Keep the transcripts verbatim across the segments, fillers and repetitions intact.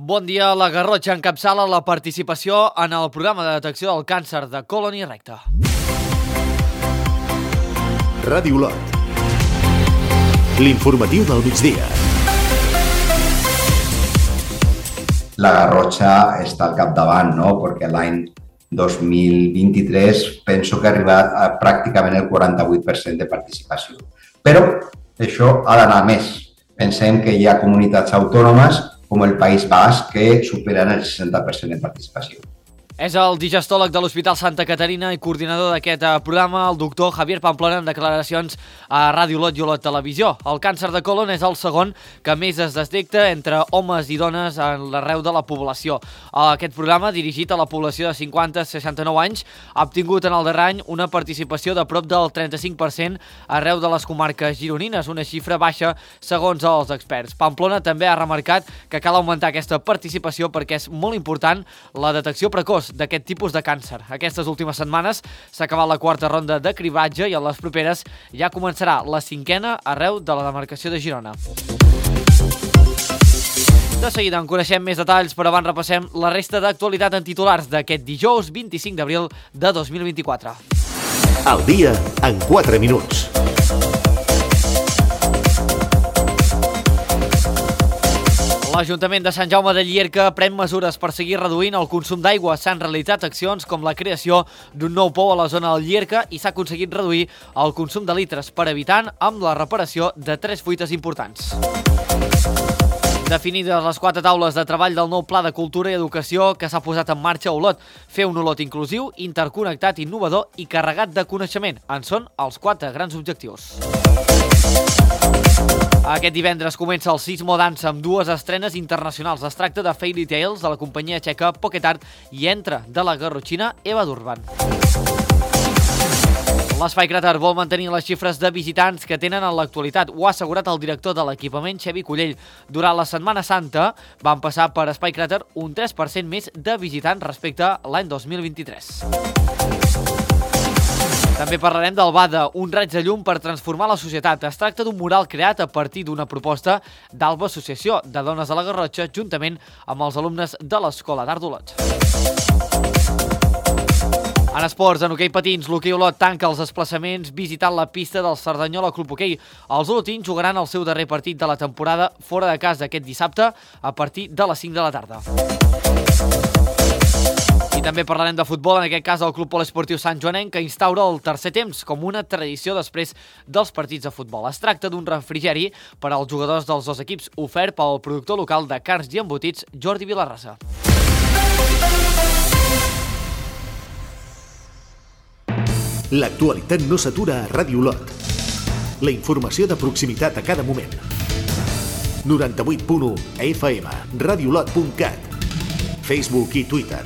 Bon dia, la Garrotxa encapçala la participació en el programa de detecció del càncer de còlon i recte. Ràdio Olot. L'informatiu del migdia. La Garrotxa està al capdavant, no? Perquè l'any dos mil vint-i-tres penso que ha arribat a pràcticament el quaranta-vuit per cent de participació. Però això ha d'anar més. Pensem que hi ha comunitats autònomes com el País Basc que superen el seixanta per cent de participació. És el digestòleg de l'Hospital Santa Caterina i coordinador d'aquest programa, el doctor Javier Pamplona, en declaracions a Ràdio Olot i Olot Televisió. El càncer de còlon és el segon que més es detecta entre homes i dones en l'arreu de la població. Aquest programa, dirigit a la població de cinquanta a seixanta-nou anys, ha obtingut en el darrer any una participació de prop del trenta-cinc per cent arreu de les comarques gironines, una xifra baixa segons els experts. Pamplona també ha remarcat que cal augmentar aquesta participació perquè és molt important la detecció precoç d'aquest tipus de càncer. Aquestes últimes setmanes s'ha acabat la quarta ronda de cribatge i a les properes ja començarà la cinquena arreu de la demarcació de Girona. De seguida en coneixem més detalls, però abans repassem la resta d'actualitat en titulars d'aquest dijous vint-i-cinc d'abril de dos mil vint-i-quatre. El dia en quatre minuts. L'Ajuntament de Sant Jaume de Llierca pren mesures per seguir reduint el consum d'aigua. S'han realitzat accions com la creació d'un nou pou a la zona del Llierca i s'ha aconseguit reduir el consum de litres per habitant amb la reparació de tres fuites importants. Definides les quatre taules de treball del nou Pla de Cultura i Educació que s'ha posat en marxa a Olot. Fer un Olot inclusiu, interconnectat, innovador i carregat de coneixement. En són els quatre grans objectius. Aquest divendres comença el Sismo Dance amb dues estrenes internacionals. Es tracta de Fairy Tales de la companyia txeca Pocket Art i Entra de la garrotxina Eva Durban. L'Espai Cràter vol mantenir les xifres de visitants que tenen en l'actualitat. Ho ha assegurat el director de l'equipament, Xevi Cullell. Durant la Setmana Santa van passar per Espai Cràter un tres per cent més de visitants respecte a l'any dos mil vint-i-tres. També parlarem del BADA, un raig de llum per transformar la societat. Es tracta d'un mural creat a partir d'una proposta d'Alba Associació de Dones de la Garrotxa, juntament amb els alumnes de l'Escola d'Art d'Olot. En esports, en hoquei patins, l'Hoquei Olot tanca els desplaçaments visitant la pista del Cerdanyola Club Hoquei. Els olotins jugaran el seu darrer partit de la temporada fora de casa aquest dissabte a partir de les cinc de la tarda. I també parlarem de futbol, en aquest cas el Club Poliesportiu Sant Joanenc, que instaura el tercer temps com una tradició després dels partits de futbol. Es tracta d'un refrigeri per als jugadors dels dos equips, ofert pel productor local de carns i embotits, Jordi Vilarrasa. L'actualitat no s'atura a Ràdio Olot. La informació de proximitat a cada moment. noranta-vuit punt u F M, radiolot punt cat, Facebook i Twitter.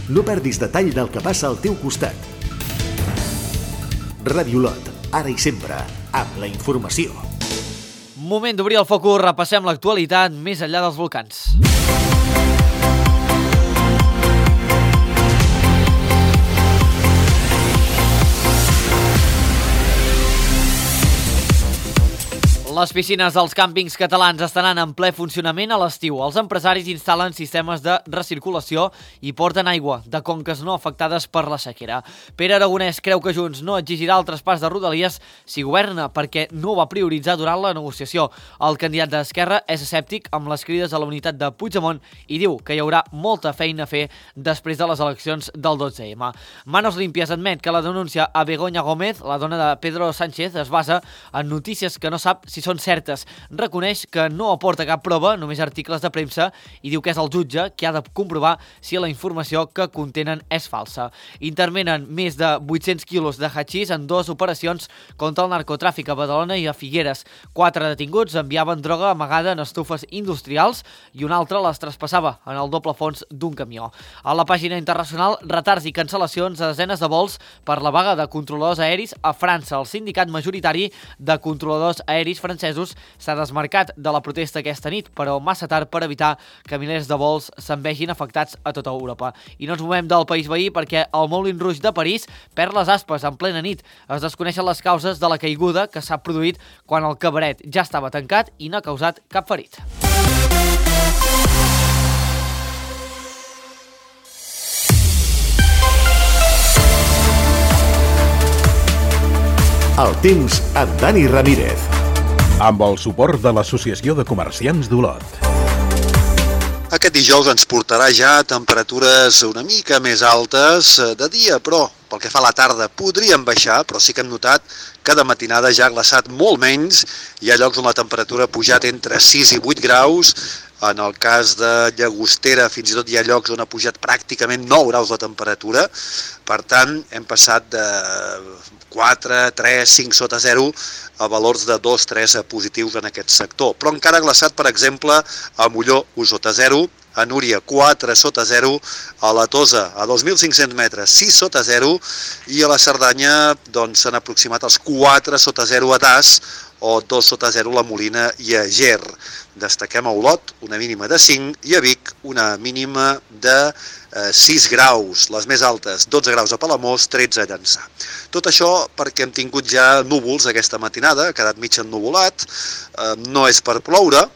No perdis detall del que passa al teu costat. Ràdio Olot, ara i sempre, amb la informació. Moment d'obrir el focus, repassem l'actualitat més enllà dels volcans. Les piscines dels càmpings catalans estaran en ple funcionament a l'estiu. Els empresaris instal·len sistemes de recirculació i porten aigua de conques no afectades per la sequera. Pere Aragonès creu que Junts no exigirà el traspàs de Rodalies si governa perquè no ho va prioritzar durant la negociació. El candidat d'Esquerra és escèptic amb les crides a la unitat de Puigdemont i diu que hi haurà molta feina a fer després de les eleccions del dotze eme. Manos Limpias admet que la denúncia a Begoña Gómez, la dona de Pedro Sánchez, es basa en notícies que no sap si són certes. Reconeix que no aporta cap prova, només articles de premsa, i diu que és el jutge qui ha de comprovar si la informació que contenen és falsa. Intervenen més de vuit-cents quilos de hachís en dues operacions contra el narcotràfic a Badalona i a Figueres. Quatre detinguts enviaven droga amagada en estufes industrials i un altre les traspassava en el doble fons d'un camió. A la pàgina internacional, retards i cancel·lacions a desenes de vols per la vaga de controladors aeris a França. El sindicat majoritari de controladors aeris francesos s'ha desmarcat de la protesta aquesta nit, però massa tard per evitar que milers de vols se'n vegin afectats a tota Europa. I no ens movem del país veí perquè el Moulin Rouge de París perd les aspes en plena nit. Es desconeixen les causes de la caiguda que s'ha produït quan el cabaret ja estava tancat i no ha causat cap ferit. El temps amb Dani Ramírez. Amb el suport de l'Associació de Comerciants d'Olot. Aquest dijous ens portarà ja temperatures una mica més altes de dia, però pel que fa a la tarda podríem baixar, però sí que hem notat que de matinada ja ha glaçat molt menys. Hi ha llocs on la temperatura ha pujat entre sis i vuit graus. En el cas de Llagostera fins i tot hi ha llocs on ha pujat pràcticament nou graus la temperatura. Per tant, hem passat de quatre, tres, cinc sota zero a valors de dos, tres positius en aquest sector. Però encara ha glaçat, per exemple, a Molló, u sota zero, a Núria, quatre sota zero, a la Tosa, a dos mil cinc-cents metres, sis sota zero, i a la Cerdanya doncs, s'han aproximat els quatre sota zero a Das, o dos sota zero la Molina i a Ger. Destaquem a Olot una mínima de cinc i a Vic una mínima de eh, sis graus. Les més altes, dotze graus a Palamós, tretze a Llançà. Tot això perquè hem tingut ja núvols aquesta matinada, ha quedat mig ennuvolat, eh, no és per ploure,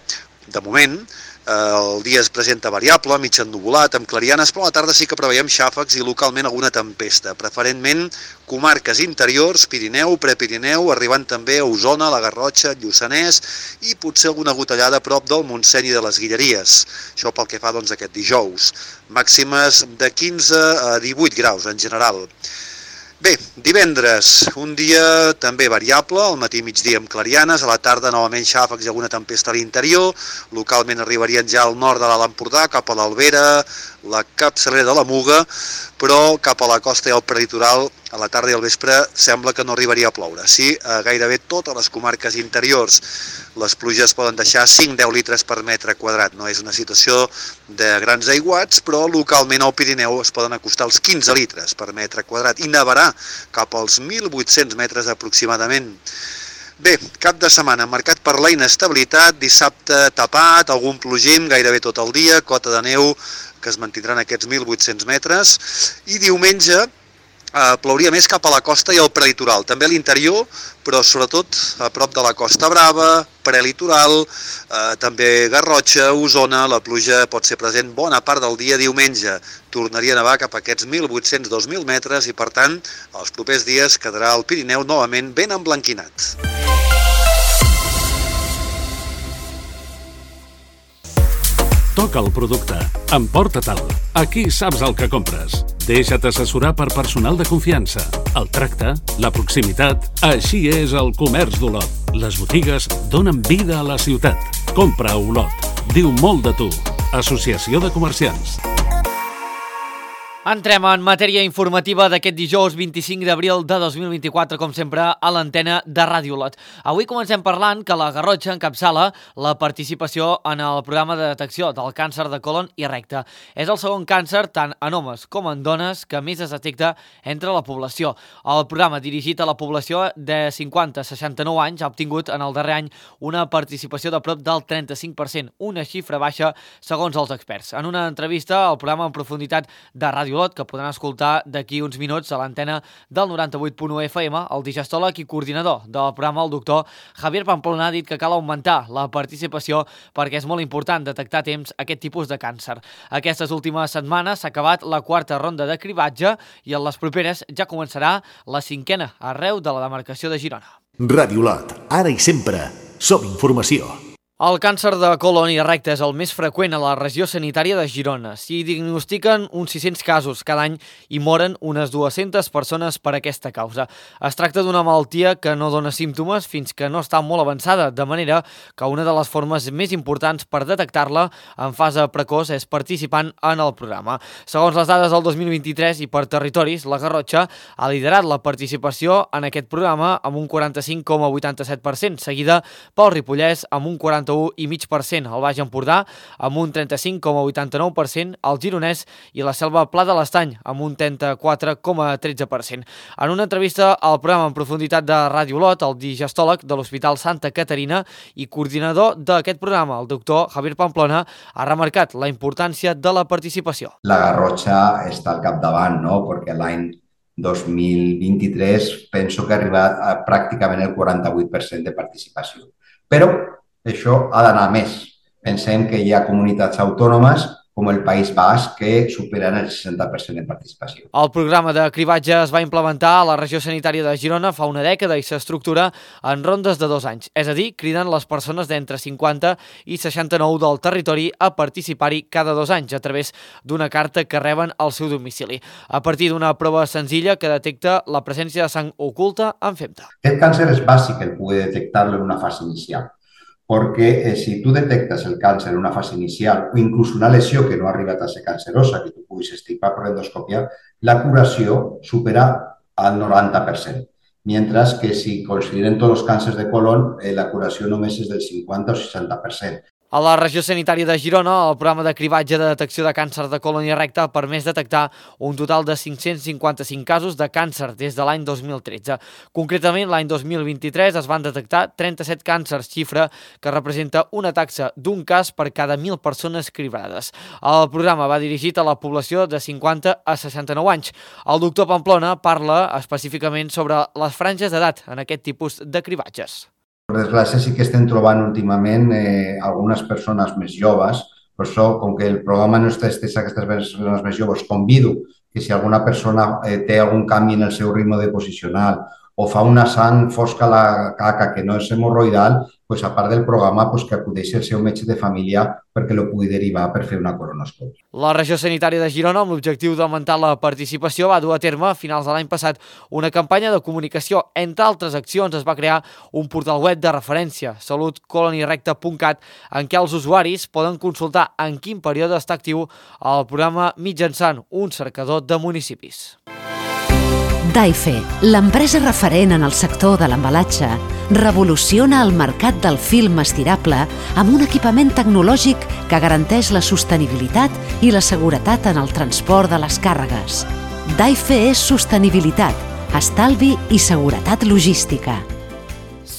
de moment. El dia es presenta variable, mig ennuvolat, amb clarianes, però a la tarda sí que preveiem xàfecs i localment alguna tempesta, preferentment comarques interiors, Pirineu, Prepirineu, arribant també a Osona, la Garrotxa, Lluçanès i potser alguna gotellada a prop del Montseny i de les Guilleries. Això pel que fa doncs, aquest dijous. Màximes de quinze a divuit graus en general. Bé, divendres, un dia també variable, al matí i migdia amb clarianes, a la tarda novament xàfecs i alguna tempesta a l'interior, localment arribarien ja al nord de l'Alt Empordà, cap a l'Albera, la capçalera de la Muga, però cap a la costa i al prelitoral, a la tarda i al vespre, sembla que no arribaria a ploure. Sí, a gairebé totes les comarques interiors. Les pluges poden deixar cinc a deu litres per metre quadrat. No és una situació de grans aiguats, però localment al Pirineu es poden acostar als quinze litres per metre quadrat i nevarà cap als mil vuit-cents metres aproximadament. Bé, cap de setmana marcat per la inestabilitat, dissabte tapat, algun plogim gairebé tot el dia, cota de neu que es mantindran aquests mil vuit-cents metres, i diumenge eh, plouria més cap a la costa i al prelitoral, també a l'interior, però sobretot a prop de la Costa Brava, prelitoral, eh, també Garrotxa, Osona, la pluja pot ser present bona part del dia diumenge. Tornaria a nevar cap a aquests mil vuit-cents a dos mil metres i, per tant, els propers dies quedarà el Pirineu novament ben emblanquinat. Toca el producte. Emporta-te'l. Aquí saps el que compres. Deixa't assessorar per personal de confiança. El tracte, la proximitat... Així és el comerç d'Olot. Les botigues donen vida a la ciutat. Compra a Olot. Diu molt de tu. Associació de Comerciants. Entrem en matèria informativa d'aquest dijous vint-i-cinc d'abril de dos mil vint-i-quatre, com sempre, a l'antena de Ràdio Olot. Avui comencem parlant que la Garrotxa encapçala la participació en el programa de detecció del càncer de còlon i recte. És el segon càncer, tant en homes com en dones, que més es detecta entre la població. El programa dirigit a la població de cinquanta a seixanta-nou anys ha obtingut en el darrer any una participació de prop del trenta-cinc per cent, una xifra baixa segons els experts. En una entrevista al programa en profunditat de Ràdio Olot, que podran escoltar d'aquí uns minuts a l'antena del noranta-vuit punt u F M, el digestòleg i coordinador del programa, el doctor Javier Pamplona, ha dit que cal augmentar la participació perquè és molt important detectar a temps aquest tipus de càncer. Aquestes últimes setmanes s'ha acabat la quarta ronda de cribatge i en les properes ja començarà la cinquena arreu de la demarcació de Girona. Ràdio Olot, ara i sempre, som informació. El càncer de còlon i recte és el més freqüent a la regió sanitària de Girona. S'hi diagnostiquen uns sis-cents casos cada any i moren unes dues-centes persones per aquesta causa. Es tracta d'una malaltia que no dona símptomes fins que no està molt avançada, de manera que una de les formes més importants per detectar-la en fase precoç és participant en el programa. Segons les dades del dos mil vint-i-tres i per territoris, la Garrotxa ha liderat la participació en aquest programa amb un quaranta-cinc coma vuitanta-set per cent, seguida pel Ripollès amb un quaranta i cinc coma cinc per cent, el Baix Empordà amb un trenta-cinc coma vuitanta-nou per cent, el Gironès i la Selva Pla de l'Estany amb un trenta-quatre coma tretze per cent. En una entrevista al programa en profunditat de Ràdio Olot, el digestòleg de l'Hospital Santa Caterina i coordinador d'aquest programa, el doctor Javier Pamplona, ha remarcat la importància de la participació. La Garrotxa està al capdavant, no? Perquè l'any dos mil vint-i-tres penso que ha arribat a pràcticament el quaranta-vuit per cent de participació. Però això ha d'anar més. Pensem que hi ha comunitats autònomes com el País Basc, que superen el seixanta per cent de participació. El programa de cribatge es va implementar a la regió sanitària de Girona fa una dècada i s'estructura en rondes de dos anys. És a dir, criden les persones d'entre cinquanta i seixanta-nou del territori a participar-hi cada dos anys a través d'una carta que reben al seu domicili. A partir d'una prova senzilla que detecta la presència de sang oculta en femta. Aquest càncer és bàsic el poder detectar-lo en una fase inicial, perquè eh, si tu detectes el càncer en una fase inicial o inclús una lesió que no ha arribat a ser cancerosa, que tu puguis estimar per endoscòpia, la curació supera al noranta per cent. Mentre que si consideren tots els càncers de colon, eh, la curació només és del cinquanta o seixanta per cent. A la regió sanitària de Girona, el programa de cribatge de detecció de càncer de colon i recte ha permès detectar un total de cinc-cents cinquanta-cinc casos de càncer des de l'any dos mil tretze. Concretament, l'any dos mil vint-i-tres es van detectar trenta-set càncers, xifra que representa una taxa d'un cas per cada mil persones cribrades. El programa va dirigit a la població de cinquanta a seixanta-nou anys. El doctor Pamplona parla específicament sobre les franges d'edat en aquest tipus de cribatges. Per desgràcia, sí que estem trobant últimament eh, algunes persones més joves. Per això, com que el programa no està estès a aquestes persones més joves, convido que si alguna persona eh, té algun canvi en el seu ritme de posicional o fa una sang fosca a la caca que no és hemorroidal, pues, a part del programa, pues, que acudeixi al seu metge de família perquè lo pugui derivar per fer una colonoscòpia. La regió sanitària de Girona, amb l'objectiu d'augmentar la participació, va dur a terme a finals de l'any passat una campanya de comunicació. Entre altres accions, es va crear un portal web de referència, salut colon i recte punt cat, en què els usuaris poden consultar en quin període està actiu el programa mitjançant un cercador de municipis. Daife, l'empresa referent en el sector de l'embalatge, revoluciona el mercat del film estirable amb un equipament tecnològic que garanteix la sostenibilitat i la seguretat en el transport de les càrregues. Daife és sostenibilitat, estalvi i seguretat logística.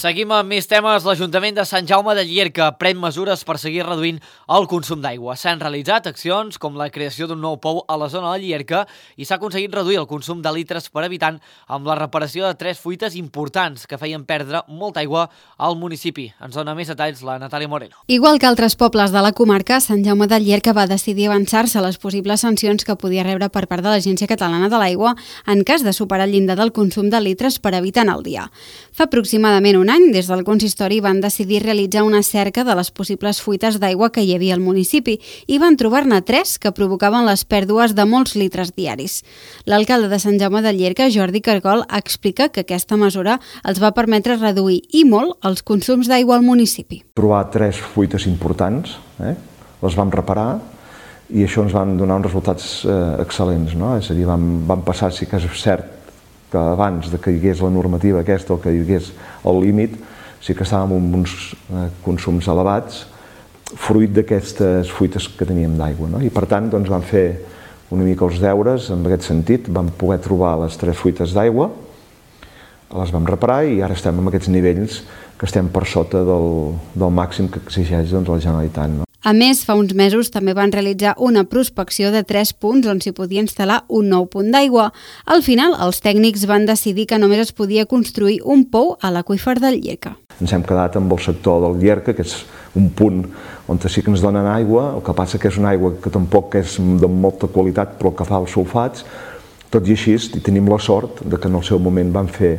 Seguim amb més temes. L'Ajuntament de Sant Jaume de Llierca pren mesures per seguir reduint el consum d'aigua. S'han realitzat accions com la creació d'un nou pou a la zona de Llierca i s'ha aconseguit reduir el consum de litres per habitant amb la reparació de tres fuites importants que feien perdre molta aigua al municipi. Ens dona més detalls la Natàlia Moreno. Igual que altres pobles de la comarca, Sant Jaume de Llierca va decidir avançar-se a les possibles sancions que podia rebre per part de l'Agència Catalana de l'Aigua en cas de superar el llindar del consum de litres per habitant al dia. Fa aproximadament un any, des del consistori van decidir realitzar una cerca de les possibles fuites d'aigua que hi havia al municipi i van trobar-ne tres que provocaven les pèrdues de molts litres diaris. L'alcalde de Sant Jaume de Llierca, Jordi Cargol, explica que aquesta mesura els va permetre reduir i molt els consums d'aigua al municipi. Trobar tres fuites importants, eh? les vam reparar i això ens van donar uns resultats eh, excel·lents, no? És a dir, vam, vam passar, sí que és cert, que abans de que hi hagués la normativa aquesta o que hi hagués el límit, sí que estàvem amb uns eh, consums elevats fruit d'aquestes fuites que teníem d'aigua, no? I per tant doncs, vam fer una mica els deures en aquest sentit, vam poder trobar les tres fuites d'aigua, les vam reparar i ara estem en aquests nivells que estem per sota del, del màxim que exigeix doncs, la Generalitat, no? A més, fa uns mesos també van realitzar una prospecció de tres punts on s'hi podia instal·lar un nou punt d'aigua. Al final, els tècnics van decidir que només es podia construir un pou a l'aqüífer del Llierca. Ens hem quedat amb el sector del Llierca, que és un punt on sí que ens donen aigua, el que passa que és una aigua que tampoc és de molta qualitat, però que fa els sulfats. Tot i així, i tenim la sort de que en el seu moment van fer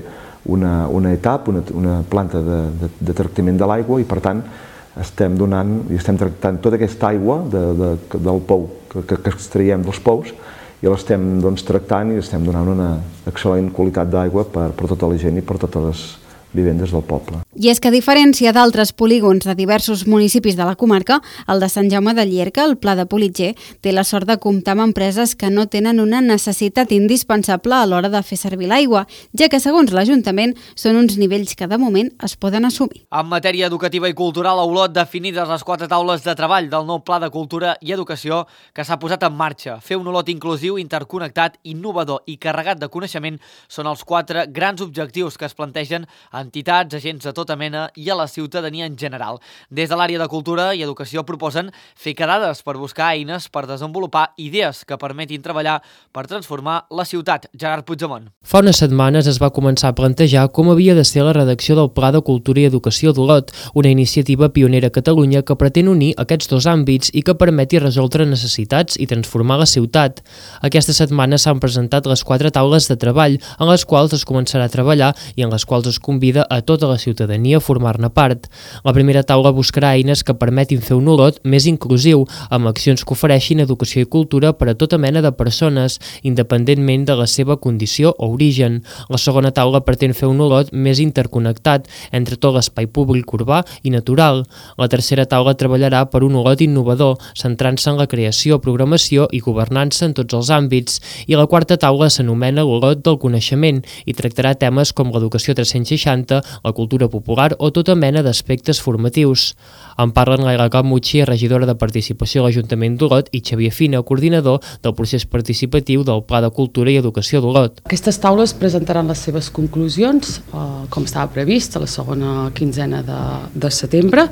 una, una etapa, una, una planta de, de, de tractament de l'aigua i, per tant, estem donant i estem tractant tota aquesta aigua de, de, del pou que, que extraiem dels pous i l'estem doncs, tractant i estem donant una excel·lent qualitat d'aigua per, per tota la gent i per totes les vivendes del poble. I és que a diferència d'altres polígons de diversos municipis de la comarca, el de Sant Jaume de Llierca, el Pla de Politger, té la sort de comptar amb empreses que no tenen una necessitat indispensable a l'hora de fer servir l'aigua, ja que segons l'Ajuntament són uns nivells que de moment es poden assumir. En matèria educativa i cultural, a Olot, definides les quatre taules de treball del nou Pla de Cultura i Educació que s'ha posat en marxa. Fer un Olot inclusiu, interconnectat, innovador i carregat de coneixement són els quatre grans objectius que es plantegen entitats, agents de tot tota mena i a la ciutadania en general. Des de l'àrea de Cultura i Educació proposen fer quedades per buscar eines per desenvolupar idees que permetin treballar per transformar la ciutat. Gerard Puigdemont. Fa unes setmanes es va començar a plantejar com havia de ser la redacció del Pla de Cultura i Educació d'Olot, una iniciativa pionera a Catalunya que pretén unir aquests dos àmbits i que permeti resoldre necessitats i transformar la ciutat. Aquesta setmana s'han presentat les quatre taules de treball en les quals es començarà a treballar i en les quals es convida a tota la ciutadania a formar-ne part. La primera taula buscarà eines que permetin fer un Olot més inclusiu, amb accions que ofereixin educació i cultura per a tota mena de persones, independentment de la seva condició o origen. La segona taula pretén fer un Olot més interconnectat entre tot l'espai públic urbà i natural. La tercera taula treballarà per un Olot innovador, centrant-se en la creació, programació i governança en tots els àmbits. I la quarta taula s'anomena l'Olot del coneixement i tractarà temes com l'educació tres-cents seixanta, la cultura popular o tota mena d'aspectes formatius. En parlen Laila Camucci, regidora de Participació a l'Ajuntament d'Olot, i Xavier Fina, coordinador del procés participatiu del Pla de Cultura i Educació d'Olot. Aquestes taules presentaran les seves conclusions, eh, com estava previst, a la segona quinzena de, de setembre.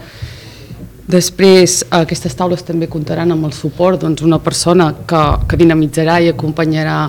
Després, aquestes taules també comptaran amb el suport d'una persona que, que dinamitzarà i acompanyarà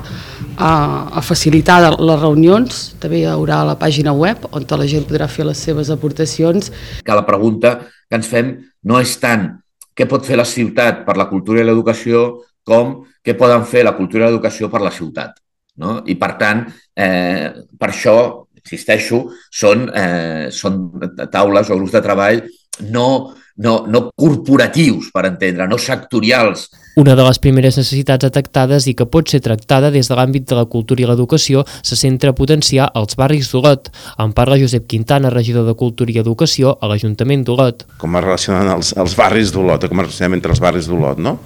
a, a facilitar les reunions. També hi haurà la pàgina web on la gent podrà fer les seves aportacions. Que la pregunta que ens fem no és tant què pot fer la ciutat per la cultura i l'educació com què poden fer la cultura i l'educació per la ciutat. No? I per tant, eh, per això, insisteixo, són, eh, són taules o grups de treball no No, no corporatius, per entendre, no sectorials. Una de les primeres necessitats detectades i que pot ser tractada des de l'àmbit de la cultura i l'educació se centra a potenciar els barris d'Olot. En parla Josep Quintana, regidor de Cultura i Educació a l'Ajuntament d'Olot. Com es relacionen els, els barris d'Olot, com es relacionen entre els barris d'Olot, no?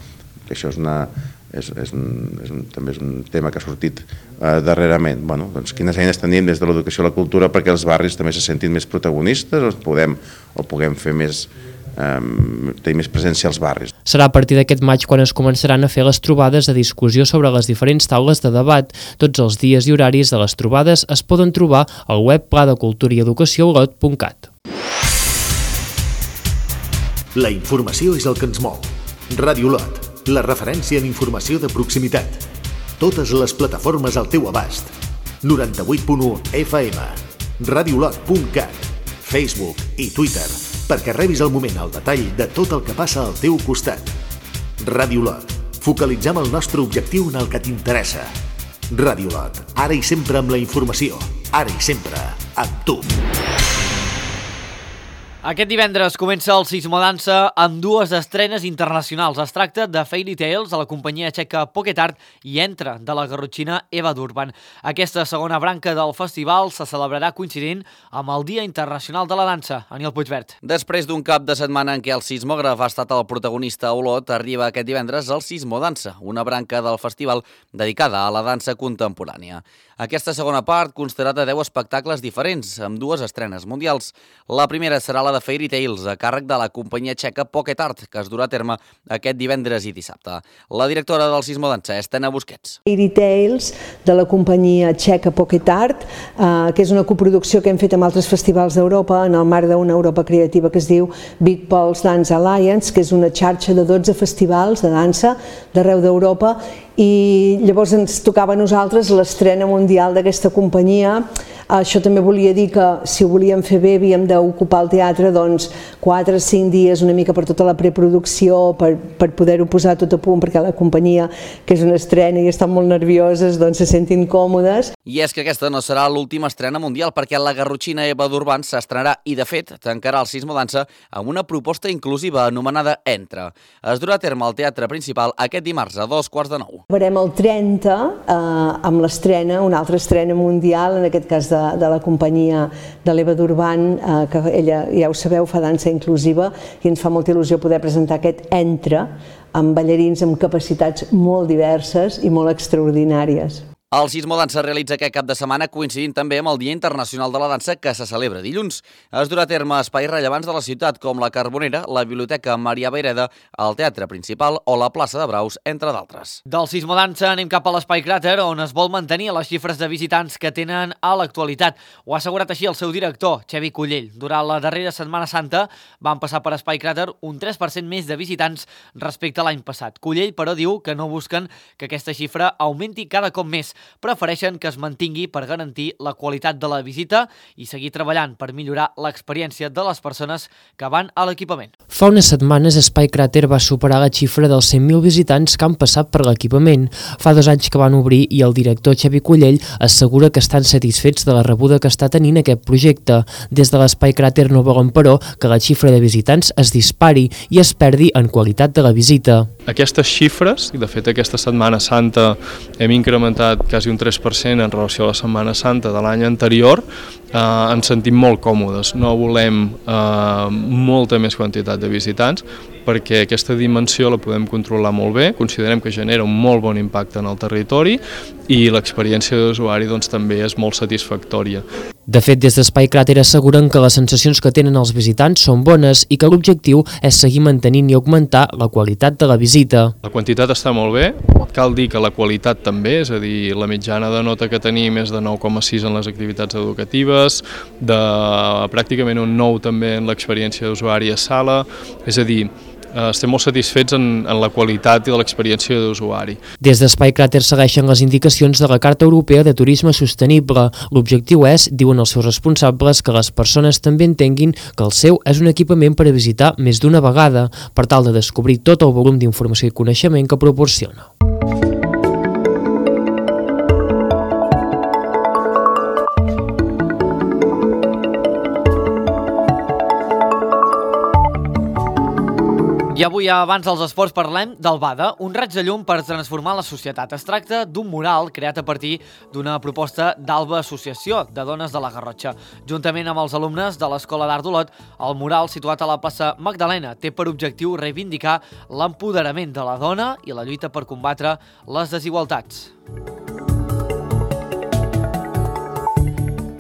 Això és una... És, és un, és un, també és un tema que ha sortit eh, darrerament. Bueno, doncs, quines eines tenim des de l'educació i la cultura perquè els barris també se sentin més protagonistes o podem, o puguem fer més, eh, tenir més presència als barris. Serà a partir d'aquest maig quan es començaran a fer les trobades de discussió sobre les diferents taules de debat. Tots els dies i horaris de les trobades es poden trobar al web pla de cultura i educació olot punt cat. La informació és el que ens mou. Ràdio Olot, la referència en informació de proximitat. Totes les plataformes al teu abast. noranta-vuit punt u F M, radiolot punt cat, Facebook i Twitter, perquè rebis al moment el detall de tot el que passa al teu costat. Ràdio Olot, focalitzem el nostre objectiu en el que t'interessa. Ràdio Olot, ara i sempre amb la informació, ara i sempre amb tu. Aquest divendres comença el Sismodansa amb dues estrenes internacionals. Es tracta de Fairy Tales, a la companyia txeca Pocket Art, i Entra, de la garrotxina Eva Durban. Aquesta segona branca del festival se celebrarà coincidint amb el Dia Internacional de la Dansa. Aniel Puigvert. Després d'un cap de setmana en què el sismògraf ha estat el protagonista a Olot, arriba aquest divendres el Sismodansa, una branca del festival dedicada a la dansa contemporània. Aquesta segona part constarà de deu espectacles diferents, amb dues estrenes mundials. La primera serà la de Fairy Tales, a càrrec de la companyia txeca Pocket Art, que es durà a terme aquest divendres i dissabte. La directora del Sismodansa és Tena Busquets. Fairy Tales, de la companyia txeca Pocket Art, eh, que és una coproducció que hem fet amb altres festivals d'Europa, en el marc d'una Europa creativa que es diu Big Pulse Dance Alliance, que és una xarxa de dotze festivals de dansa d'arreu d'Europa, i llavors ens tocava a nosaltres l'estrena mundial d'aquesta companyia. Això també volia dir que si ho volíem fer bé havíem d'ocupar el teatre doncs quatre o cinc dies una mica per tota la preproducció, per, per poder-ho posar tot a punt, perquè la companyia, que és una estrena i estan molt nervioses, doncs se sentin còmodes. I és que aquesta no serà l'última estrena mundial, perquè la garrotxina Eva Durban s'estrenarà i, de fet, tancarà el Sismodansa amb una proposta inclusiva anomenada Entra. Es durà a terme al Teatre Principal aquest dimarts a dos quarts de nou. Veurem el trenta eh, amb l'estrena, una altra estrena mundial, en aquest cas de, de la companyia de l'Eva Durban, eh, que ella, ja ho sabeu, fa dansa inclusiva, i ens fa molta il·lusió poder presentar aquest Entra amb ballarins amb capacitats molt diverses i molt extraordinàries. El Sismo Dansa realitza aquest cap de setmana coincidint també amb el Dia Internacional de la Dansa que se celebra dilluns. Es durà a terme espais rellevants de la ciutat com la Carbonera, la Biblioteca Maria Vayreda, el Teatre Principal o la Plaça de Braus, entre d'altres. Del Sismo Dansa anem cap a l'Espai Cràter, on es vol mantenir les xifres de visitants que tenen a l'actualitat. Ho ha assegurat així el seu director, Xavi Cullell. Durant la darrera Setmana Santa van passar per Espai Cràter un tres per cent més de visitants respecte a l'any passat. Cullell, però, diu que no busquen que aquesta xifra augmenti cada cop més. Prefereixen que es mantingui per garantir la qualitat de la visita i seguir treballant per millorar l'experiència de les persones que van a l'equipament. Fa unes setmanes Espai Cràter va superar la xifra dels cent mil visitants que han passat per l'equipament. Fa dos anys que van obrir i el director Xavi Cullell assegura que estan satisfets de la rebuda que està tenint aquest projecte. Des de l'Espai Cràter no volen, però, que la xifra de visitants es dispari i es perdi en qualitat de la visita. Aquestes xifres, i de fet aquesta Setmana Santa hem incrementat quasi un tres per cent en relació a la Setmana Santa de l'any anterior, eh, ens sentim molt còmodes. No volem eh, molta més quantitat de visitants perquè aquesta dimensió la podem controlar molt bé, considerem que genera un molt bon impacte en el territori i l'experiència d'usuari doncs, també és molt satisfactòria. De fet, des d'Espai Cràter asseguren que les sensacions que tenen els visitants són bones i que l'objectiu és seguir mantenint i augmentar la qualitat de la visita. La quantitat està molt bé, cal dir que la qualitat també, és a dir, la mitjana de nota que tenim és de nou coma sis en les activitats educatives, de pràcticament un nou també en l'experiència d'usuari a sala, és a dir, estem molt satisfets en, en la qualitat i de l'experiència d'usuari. Des d'Espai Cràter segueixen les indicacions de la Carta Europea de Turisme Sostenible. L'objectiu és, diuen els seus responsables, que les persones també entenguin que el seu és un equipament per a visitar més d'una vegada, per tal de descobrir tot el volum d'informació i coneixement que proporciona. I avui, abans dels esports, parlem del BADA, un raig de llum per transformar la societat. Es tracta d'un mural creat a partir d'una proposta d'Alba Associació de Dones de la Garrotxa. Juntament amb els alumnes de l'Escola d'Art d'Olot, el mural, situat a la plaça Magdalena, té per objectiu reivindicar l'empoderament de la dona i la lluita per combatre les desigualtats.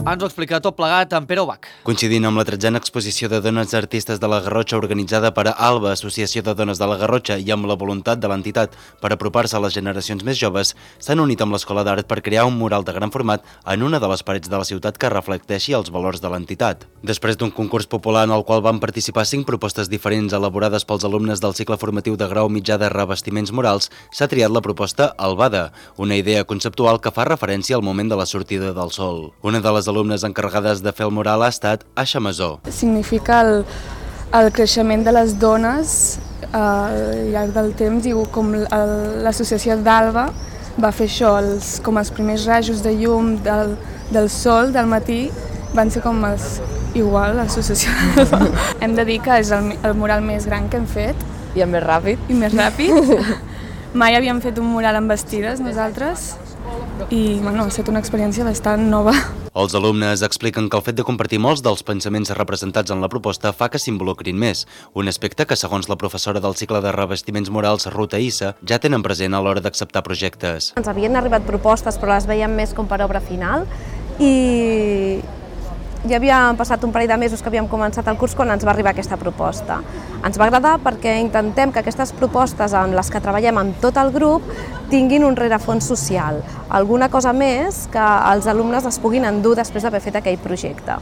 Ens ho explica tot plegat en Pere Ubach. Coincidint amb la tretzena exposició de dones artistes de la Garrotxa organitzada per Alba, Associació de Dones de la Garrotxa, i amb la voluntat de l'entitat per apropar-se a les generacions més joves, s'han unit amb l'Escola d'Art per crear un mural de gran format en una de les parets de la ciutat que reflecteixi els valors de l'entitat. Després d'un concurs popular en el qual van participar cinc propostes diferents elaborades pels alumnes del cicle formatiu de grau mitjà de revestiments murals, s'ha triat la proposta Albada, una idea conceptual que fa referència al moment de la sortida del sol. Una de les alumnes encarregades de fer el mural ha estat Aixa Masó. Significa el, el creixement de les dones eh, al llarg del temps i com l'associació d'Alba va fer això, els, com els primers rajos de llum del, del sol del matí van ser com els, igual l'associació d'Alba. Hem de dir que és el, el mural més gran que hem fet. I el més ràpid. I més ràpid. Mai havíem fet un mural amb vestides nosaltres i bueno, ha estat una experiència bastant nova. Els alumnes expliquen que el fet de compartir molts dels pensaments representats en la proposta fa que s'involucrin més, un aspecte que, segons la professora del cicle de revestiments murals, Ruta Issa, ja tenen present a l'hora d'acceptar projectes. Ens havien arribat propostes, però les veiem més com per obra final, i ja havia passat un parell de mesos que havíem començat el curs quan ens va arribar aquesta proposta. Ens va agradar perquè intentem que aquestes propostes en les que treballem amb tot el grup tinguin un rerefons social, alguna cosa més que els alumnes es puguin endur després d'haver fet aquell projecte.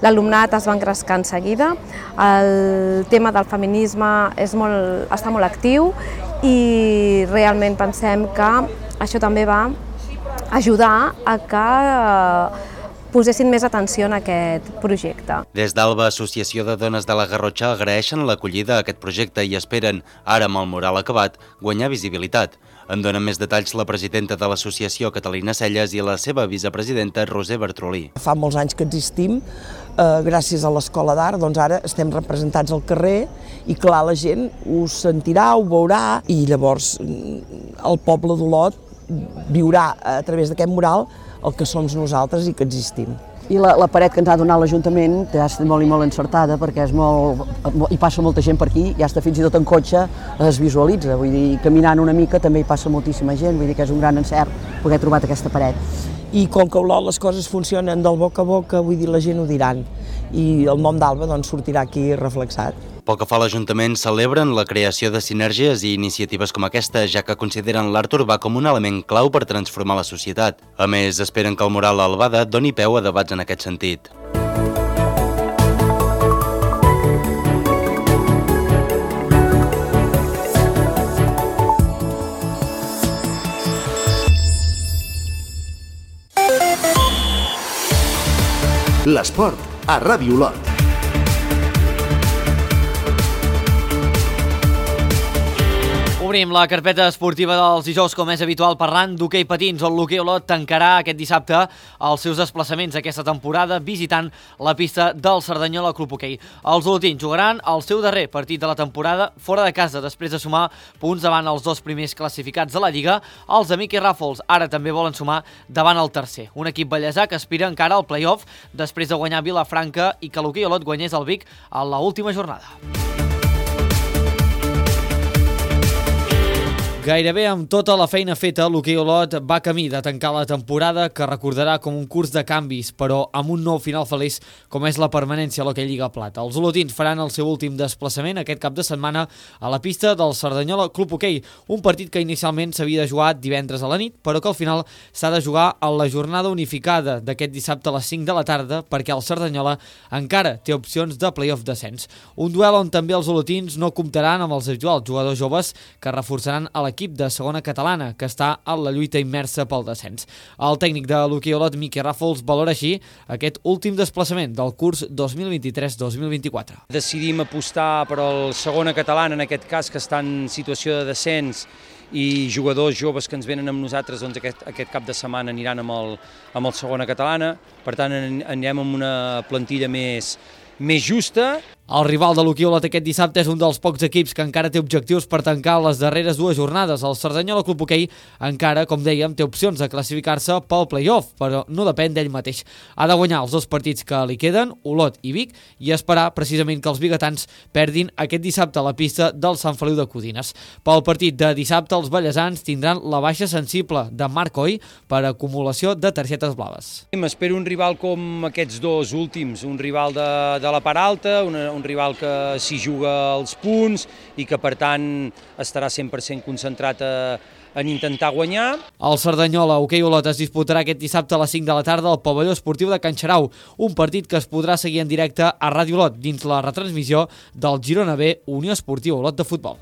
L'alumnat es va engrescar en seguida, el tema del feminisme és molt, està molt actiu i realment pensem que això també va ajudar a que posessin més atenció en aquest projecte. Des d'Alba, Associació de Dones de la Garrotxa, agraeixen l'acollida a aquest projecte i esperen, ara amb el mural acabat, guanyar visibilitat. En donen més detalls la presidenta de l'associació, Catalina Celles, i la seva vicepresidenta, Roser Bertrolí. Fa molts anys que existim, eh, gràcies a l'Escola d'Art, doncs ara estem representats al carrer i clar, la gent ho sentirà, ho veurà i llavors el poble d'Olot viurà a través d'aquest mural el que som nosaltres i que existim. I la, la paret que ens ha donat l'Ajuntament ja està molt i molt encertada perquè és molt, hi passa molta gent per aquí, ja està fins i tot en cotxe es visualitza, vull dir, caminant una mica també hi passa moltíssima gent, vull dir que és un gran encert poder trobat aquesta paret. I com que a Olot les coses funcionen del boca a boca, vull dir, la gent ho diran i el nom d'Alba doncs, sortirà aquí reflexat. Pel que fa a l'Ajuntament, celebren la creació de sinergies i iniciatives com aquesta, ja que consideren l'art urbà com un element clau per transformar la societat. A més, esperen que el mural a Albada doni peu a debats en aquest sentit. L'esport a Ràdio Olot. Obrim la carpeta esportiva dels dijous, com és habitual, parlant d'hoquei patins, on l'Hoquei Olot tancarà aquest dissabte els seus desplaçaments aquesta temporada visitant la pista del Cerdanyola Club Hoquei. Els olotins jugaran el seu darrer partit de la temporada fora de casa, després de sumar punts davant els dos primers classificats de la Lliga. Els de Miqui Ràfols ara també volen sumar davant el tercer. Un equip ballesà que aspira encara al play-off després de guanyar Vilafranca i que l'Hoquei Olot guanyés el Vic a l'última jornada. Gairebé amb tota la feina feta, l'Hoquei Olot va camí de tancar la temporada que recordarà com un curs de canvis, però amb un nou final feliç com és la permanència a l'Hoquei Lliga Plata. Els olotins faran el seu últim desplaçament aquest cap de setmana a la pista del Cerdanyola Club Hoquei, un partit que inicialment s'havia de jugar divendres a la nit, però que al final s'ha de jugar a la jornada unificada d'aquest dissabte a les cinc de la tarda perquè el Cerdanyola encara té opcions de play-off descens. Un duel on també els olotins no comptaran amb els habituals jugadors joves que reforçaran a l'equip de segona catalana, que està a la lluita immersa pel descens. El tècnic de l'Hoquei Olot, Miqui Ràfols, valora així aquest últim desplaçament del curs dos mil vint-i-tres dos mil vint-i-quatre. Decidim apostar per al segona catalana, en aquest cas, que està en situació de descens, i jugadors joves que ens venen amb nosaltres doncs aquest, aquest cap de setmana aniran amb el, amb el segona catalana. Per tant, anem amb una plantilla més, més justa. El rival de l'Hoquei Olot aquest dissabte és un dels pocs equips que encara té objectius per tancar les darreres dues jornades. El Cerdanyola Club Hoquei encara, com dèiem, té opcions de classificar-se pel play-off, però no depèn d'ell mateix. Ha de guanyar els dos partits que li queden, Olot i Vic, i esperar precisament que els biguetans perdin aquest dissabte a la pista del Sant Feliu de Codines. Pel partit de dissabte, els ballesans tindran la baixa sensible de Marc Coll per acumulació de targetes blaves. M'espero un rival com aquests dos últims, un rival de, de la part alta, una, un rival que s'hi juga els punts i que per tant estarà cent per cent concentrat a, en intentar guanyar. El Cerdanyola Hoquei Olot es disputarà aquest dissabte a les cinc de la tarda al pavelló esportiu de Can Xarau, un partit que es podrà seguir en directe a Ràdio Olot dins la retransmissió del Girona B Unió Esportiva Olot de Futbol.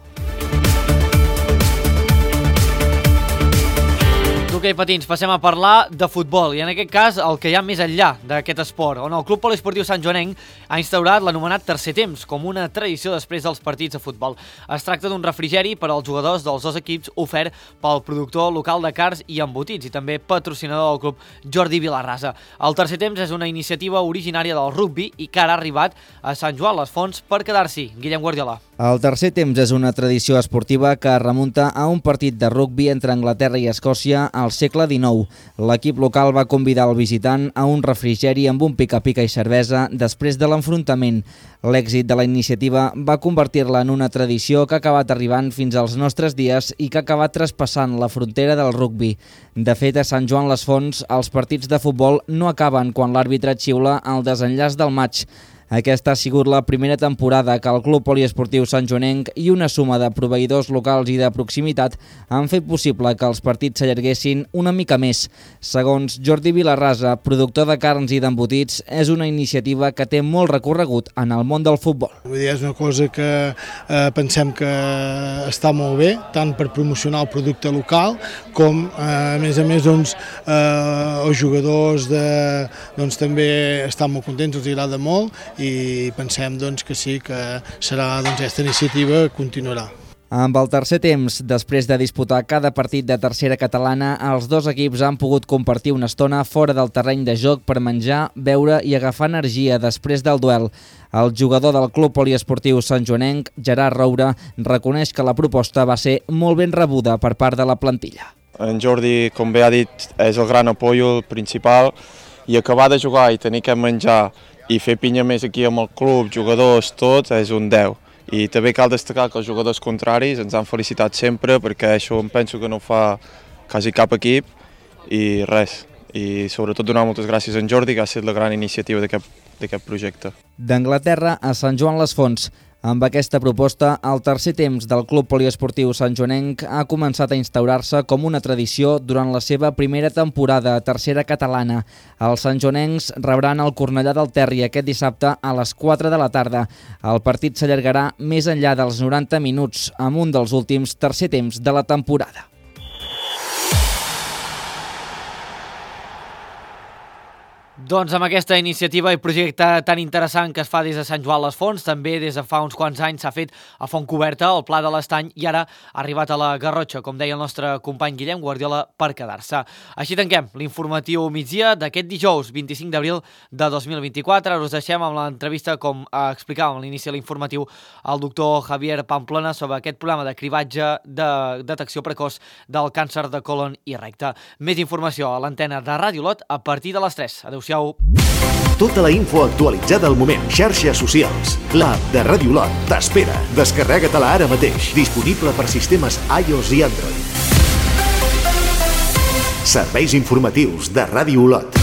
D'hoquei patins passem a parlar de futbol i en aquest cas el que hi ha més enllà d'aquest esport, on el Club Poliesportiu Sant Joanenc ha instaurat l'anomenat tercer temps com una tradició després dels partits de futbol. Es tracta d'un refrigeri per als jugadors dels dos equips ofert pel productor local de cars i embotits i també patrocinador del club Jordi Vilarrasa. El tercer temps és una iniciativa originària del rugbi i que ara ha arribat a Sant Joan les Fonts per quedar-s'hi. Guillem Guardiola. El tercer temps és una tradició esportiva que remunta a un partit de rugbi entre Anglaterra i Escòcia al segle dinou. L'equip local va convidar el visitant a un refrigeri amb un pica-pica i cervesa després de l'enfrontament. L'èxit de la iniciativa va convertir-la en una tradició que ha acabat arribant fins als nostres dies i que ha acabat traspassant la frontera del rugbi. De fet, a Sant Joan les Fonts, els partits de futbol no acaben quan l'àrbitre xiula el desenllaç del maig. Aquesta ha sigut la primera temporada que el Club Poliesportiu Sant Joanenc i una suma de proveïdors locals i de proximitat han fet possible que els partits s'allarguessin una mica més. Segons Jordi Vilarrasa, productor de carns i d'embotits, és una iniciativa que té molt recorregut en el món del futbol. Vull dir, és una cosa que eh, pensem que està molt bé, tant per promocionar el producte local com, eh, a més a més, doncs, eh, els jugadors de, doncs, també estan molt contents, els agrada molt, i pensem doncs, que sí, que serà, doncs, aquesta iniciativa continuarà. Amb el tercer temps, després de disputar cada partit de tercera catalana, els dos equips han pogut compartir una estona fora del terreny de joc per menjar, beure i agafar energia després del duel. El jugador del Club Poliesportiu Sant Joanenc, Gerard Roura, reconeix que la proposta va ser molt ben rebuda per part de la plantilla. En Jordi, com bé ha dit, és el gran apoyo principal i acabar de jugar i tenir que menjar i fer pinya més aquí amb el club, jugadors, tot, és un deu. I també cal destacar que els jugadors contraris ens han felicitat sempre, perquè això em penso que no ho fa quasi cap equip, i res. I sobretot donar moltes gràcies a en Jordi, que ha estat la gran iniciativa d'aquest projecte. D'Anglaterra a Sant Joan les Fonts. Amb aquesta proposta, el tercer temps del Club Poliesportiu santjoanenc ha començat a instaurar-se com una tradició durant la seva primera temporada a tercera catalana. Els santjoanencs rebran el Cornellà del Terri aquest dissabte a les quatre de la tarda. El partit s'allargarà més enllà dels noranta minuts, amb un dels últims tercer temps de la temporada. Doncs amb aquesta iniciativa i projecte tan interessant que es fa des de Sant Joan les Fonts, també des de fa uns quants anys s'ha fet a Fontcoberta, al Pla de l'Estany, i ara ha arribat a la Garrotxa, com deia el nostre company Guillem Guardiola, per quedar-se. Així tanquem l'informatiu migdia d'aquest dijous vint-i-cinc d'abril de dos mil vint-i-quatre. Ara us deixem amb l'entrevista, com explicàvem a l'inici de l'informatiu, al doctor Javier Pamplona sobre aquest programa de cribatge de detecció precoç del càncer de colon i recte. Més informació a l'antena de Ràdio Lot a partir de les tres. Adéu-siau. Tota la info actualitzada al moment. Xarxes socials. L'app de Ràdio Lot t'espera. Descarrega-te-la ara mateix. Disponible per sistemes iOS i Android. Serveis informatius de Ràdio Lot.